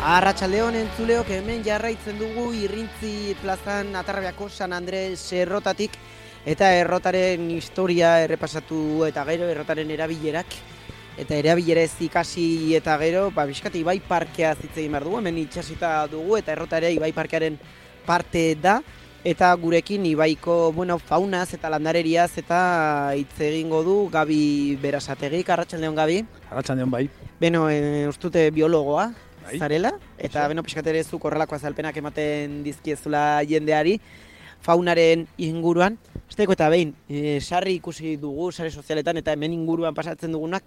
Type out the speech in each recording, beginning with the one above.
Arratsaldeon entzuleok, hemen jarraitzen dugu Irrintzi plazan Atarrabiako San Andres errotatik eta errotaren historia errepasatu eta gero errotaren erabilerak eta erabilerez ikasi eta gero bizkat Ibai Parkea hitz egin behar dugu, hemen itxasita dugu eta errota ere Ibai Parkearen parte da eta gurekin Ibaiko faunaz eta landareriaz eta hitz egingo du Gabi Berasategik. Arratsaldeon Gabi. Arratsaldeon bai. Beno, ustute biologoa zarela, eta pixkat ere zuk horrelako azalpenak ematen dizkiezula jendeari faunaren inguruan. Esteko eta behin, sarri ikusi dugu sare sozialetan eta hemen inguruan pasatzen dugunak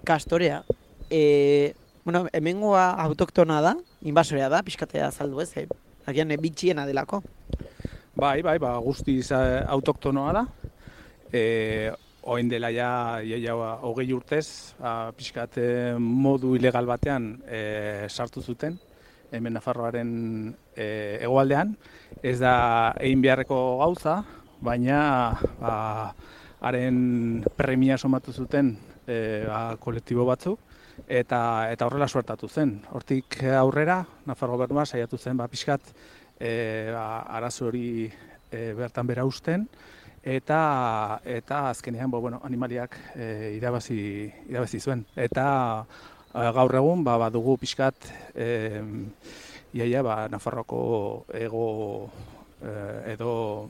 kastorea. Hemengoa autoktona da, inbasorea da, pixkatea azaldu ez, agian bitxiena delako. Bai, guztiz autoktonoa da. Oin dela ja 20 urtez, pixkat modu ilegal batean sartu zuten, hemen Nafarroaren hegoaldean. Ez da egin beharreko gauza, baina haren premia somatu zuten kolektibo batzuk, eta horrela suertatu zen. Hortik aurrera, Nafarro Gobernua saiatu zen pixkat arazo hori bertan bera uzten, eta azkenean animaliak irabazi zuen. Eta gaur egun badugu pixkat Nafarroako ego edo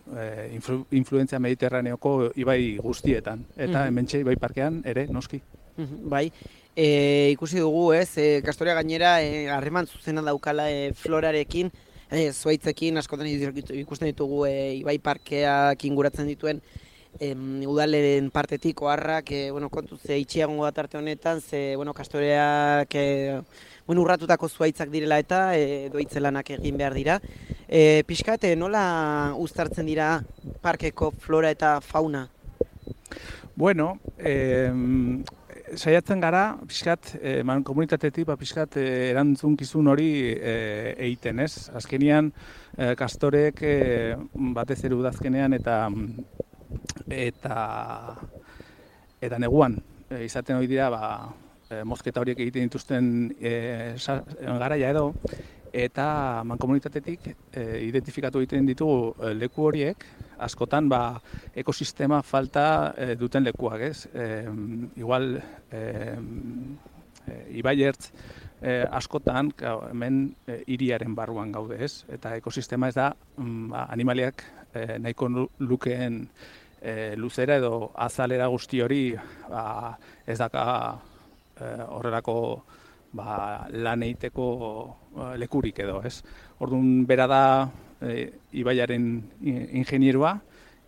influentzia mediterraneoko ibai guztietan. Eta hementxe Ibai Parkean ere noski. Bai, ikusi dugu kastorea gainera harreman zuzena daukala florarekin, zuaitzekin askotan ikusten ditugu Ibai Parkeak inguratzen dituen udaleren partetik oharrak, kontuz itxiagongo da tarte honetan, kastoreak urratutako zuaitzak direla eta doitzelanak egin behar dira. Pixkat, nola uztartzen dira parkeko flora eta fauna? Bueno, saiatzen gara, pixkat, komunitatetik, pixkat, erantzunkizun hori egiten, ez? Azkenean, kastorek batez ere udazkenean eta neguan izaten hori dira, mozketa horiek egiten dituzten garaia edo, eta mankomunitatetik identifikatu egiten ditugu leku horiek, askotan ekosistema falta duten lekuak, ez? Igual, Ibai Ertz askotan hemen hiriaren barruan gaude, ez? Eta ekosistema ez da animaliak nahiko lukeen luzera edo azalera guzti hori ez daka horrelako lan egiteko lekurik edo, ez? Orduan bera da Ibaiaren ingenierua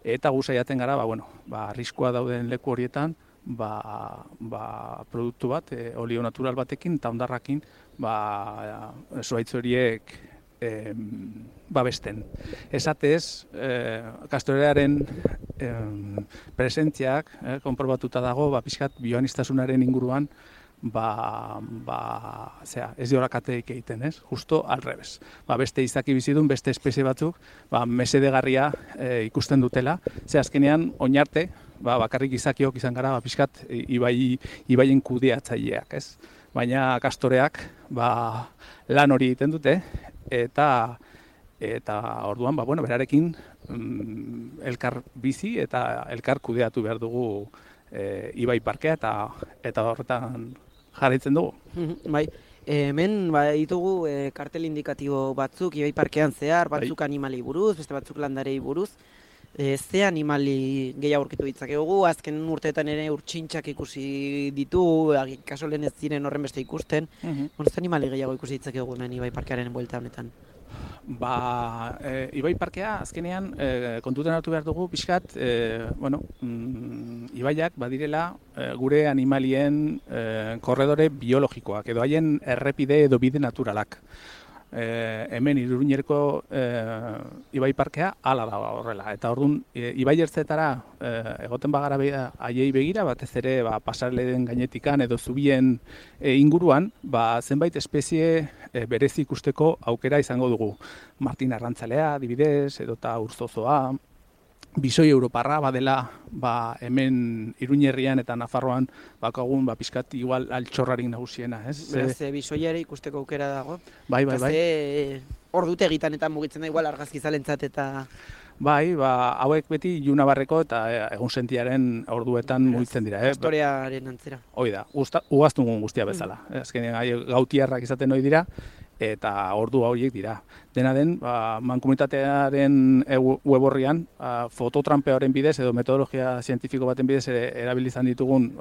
eta gu saiatzen gara, arriskua dauden leku horietan produktu bat, olio natural batekin eta hondarrakin zuhaitz horiek babesten. Esatez, kastorearen presentziak konprobatuta dago, pixkat bioanistasunaren inguruan ez diorak egiten, ez? Justo al revés. Beste izaki bizidun, beste espezie batzuk, mesedegarria ikusten dutela. Ze azkenean, oinarte, bakarrik izakiok izan gara, pixkat ibaien kudeatzaileak, ez? Baina kastoreak, lan hori egiten dute, eta orduan, berarekin elkar bizi eta elkar kudeatu behar dugu Ibai Parkea eta horretan jarraitzen dugu. Bai, hemen ditugu kartel indikatibo batzuk Ibai Parkean zehar, batzuk animali buruz, beste batzuk landarei buruz. Ze animali gehiago aurkitu ditzakegu, azken urteetan ere urtsintxak ikusi ditu, kaso lehen ez ziren horren beste ikusten. Ze animali gehiago ikusi ditzakegu hemen Ibai Parkearen buelta honetan? Ibai Parkea azkenean kontutan hartu behar dugu pixkat, ibaiak badirela gure animalien korredore biologikoak edo haien errepide edo bide naturalak. Hemen Iruñerko Ibai Parkea hala da horrela. Eta orduan, Ibai Ertzetara egoten bagara haiei begira, batez ere pasarleen gainetikan edo zubien inguruan, zenbait espezie berezi ikusteko aukera izango dugu. Martin Arrantzalea, adibidez, edota urzozoa, bisoi europarra badela hemen Iruñerrian eta Nafarroan bakagun pizkat igual altxorrarik nagusiena, ez? Beraz, bisoia ere ikusteko aukera dago. Bai. Ordutegitan eta mugitzen da igual argazkizalentzat eta... Bai, hauek beti Ilunabarreko eta egunsentiaren orduetan mugitzen dira. Historiaren antzera. Hoi da, ugaztun guztia bezala. Azkenean gautiarrak izaten hori dira, eta ordu horiek dira. Dena den, mankomunitatearen web orrian, fototrampearen bidez edo metodologia zientifiko baten bidez erabilizan ditugun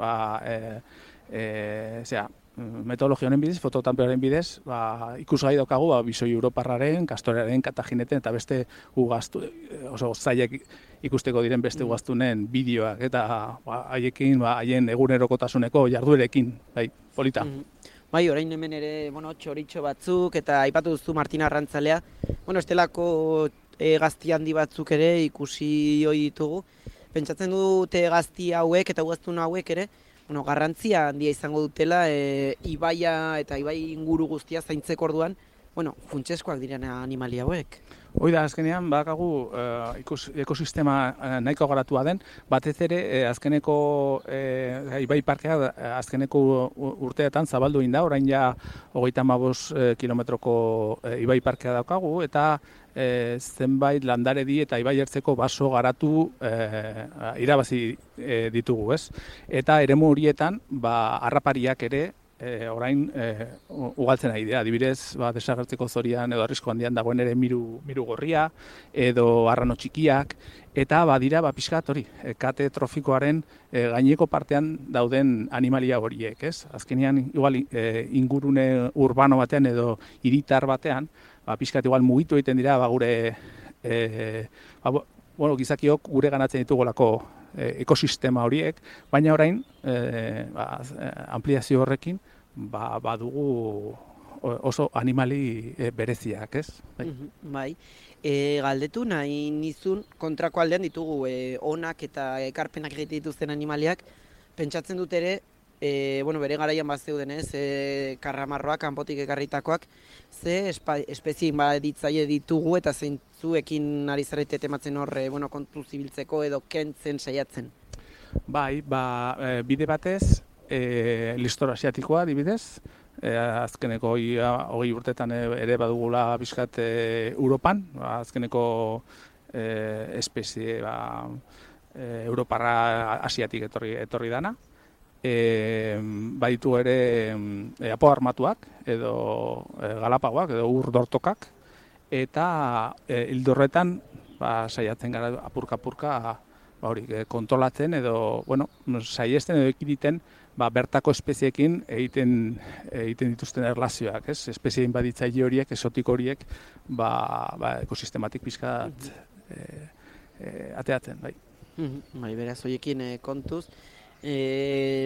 metodologia honen bidez, fototrampearen bidez, ikusgai daukagu bisoi europarraren, kastorearen, katagineten eta beste ugaztu, oso zailak ikusteko diren beste ugaztunen bideoak eta haiekin, haien egunerokotasuneko jarduerekin, polita. Bai, orain hemen ere, txoritxo batzuk eta aipatu duzu Martina Arrantzalea, estelako gazti handi batzuk ere ikusi hoi ditugu. Pentsatzen dute gazti hauek eta ugaztun hauek ere, garrantzia handia izango dutela ibaia eta ibai inguru guztia zaintzeko orduan, funtseskoak diren animalia hauek. Hoi da, azkenean, bakagu ekosistema nahiko garatua den, batez ere, azkeneko ibai parkea azkeneko urteetan zabaldu egin da, orain ja 35 kilometroko ibai parkea daukagu, eta zenbait landaredi eta ibai ertzeko baso garatu irabazi ditugu, ez? Eta eremu horietan, harrapariak ere, orain ugaltzen ari dira, adibidez, desagertzeko zorian edo arrisku handian dagoen ere miru gorria edo arrano txikiak, eta badira pixkat hori, kate trofikoaren gaineko partean dauden animalia horiek, ez? Azkenean igual ingurune urbano batean edo hiritar batean, pixkat igual mugitu egiten dira gure gizakiok gure ganatzen ditugolako ekosistema horiek, baina orain ampliazio horrekin badugu oso animali bereziak, ez? Bai. Galdetu nahi nizun kontrako aldean ditugu onak eta ekarpenak egite dituzten animaliak, pentsatzen dut ere, bere garaian bazeuden ez, karramarroak, kanpotik ekarritakoak, ze espezie baditzaile ditugu eta zeintzuekin ari zarete tematzen horre, kontu zibiltzeko edo kentzen saiatzen. Bai, bide batez, listor asiatikoa adibidez, azkeneko 20 urtetan ere badugula bizkat Europan, azkeneko espezie Europarra asiatik etorri dana. Baditu ere apo armatuak edo galapagoak edo urdortokak, eta hildorretan saiatzen gara apurka-apurka kontrolatzen edo saiesten edo ekiditen bertako espeziekin egiten dituzten erlazioak, ez? Espezien baditzaile horiek, esotik horiek, ekosistematik pixkat ateatzen, bai. Bai, beraz, horiekin kontuz,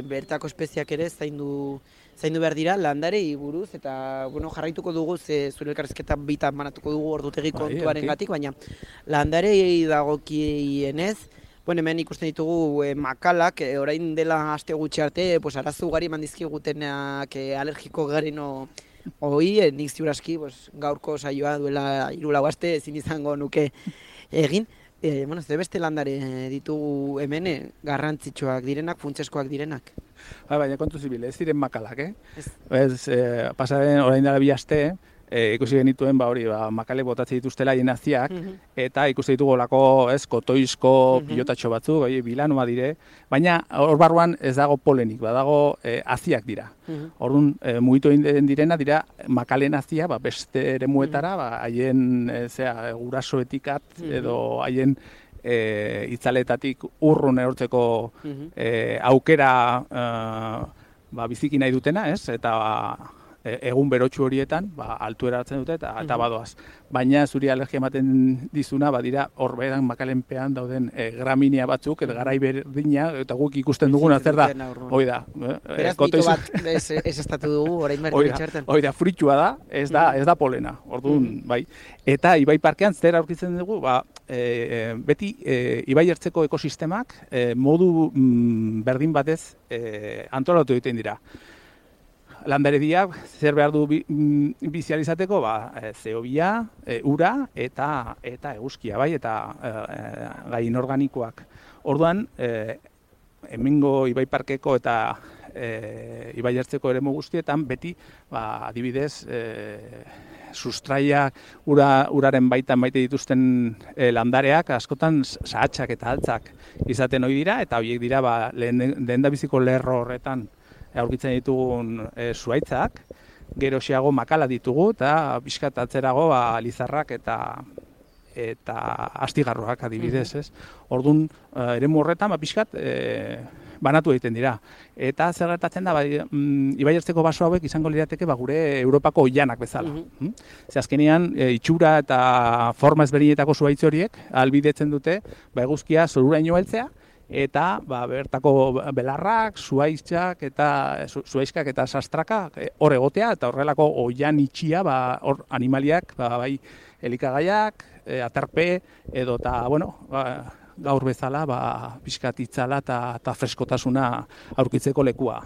bertako espeziak ere zaindu behar dira landarei buruz, eta jarraituko dugu, zure elkarrizketa bitan banatuko dugu ordutegi kontuaren gatik, baina landarei dagokienez, hemen ikusten ditugu makalak, orain dela aste gutxi arte, arazo ugari eman dizkigutenak alergiko garen hoi, nik ziuraski gaurko saioa duela 3-4 aste ezin izango nuke egin. Ze beste landare ditugu hemen garrantzitsuak direnak, funtseskoak direnak. Baina kontu zibil, ez diren makalak, pasaren orain dela 2 aste, ikusi genituen makale botatzen dituztela jenaziak, eta ikusi ditugolako kotoizko pilotatxo batzuk, bilanoa dire, baina hor barruan ez dago polenik, badago aziak dira. Orduan, mugitu egin direna dira makalen azia, beste eremuetara, haien gurasoetik edo haien itzaletatik urrun erortzeko aukera biziki nahi dutena, eta egun berotxu horietan, altuera hartzen dute eta badoaz. Baina zuri alergia ematen dizuna, badira horberan makalenpean dauden graminia batzuk, eta garai berdina, eta guk ikusten duguna zer da. Hoi da. Beraz, mito bat ez estatu dugu, orain berri bitxerten. Hoi da, fruitua da, ez da polena. Orduan, bai. Eta Ibai Parkean zer aurkitzen dugu, beti Ibai ertzeko ekosistemak modu berdin batez antolatu egiten dira. landarediak zer behar du bizializateko, zeobia, ura eta eguzkia, bai, eta gai inorganikoak. Orduan, hemengo Ibai Parkeko eta Ibai Ertzeko eremu guztietan beti, adibidez, sustraiak uraren baitan maite dituzten landareak askotan sahatsak eta altzak izaten ohi dira, eta horiek dira lehendabiziko lerro horretan aurkitzen ditugun zuhaitzak, geroxeago makala ditugu, eta pixkat atzerago lizarrak eta astigarroak adibidez, ez? Orduan, eremu horretan, pixkat, banatu egiten dira. Eta zer gertatzen da, Ibai Ertzeko baso hauek izango lirateke gure Europako oilanak bezala. Ze azkenean, itxura eta forma ezberdinetako zuhaitz horiek ahalbidetzen dute eguzkia zoruraino heltzea, eta bertako belarrak, zuhaitzak eta sastraka hor egotea, eta horrelako oilan itxia hor animaliak, bai elikagaiak, aterpe, edo eta, gaur bezala, pixkat itzala eta freskotasuna aurkitzeko lekua.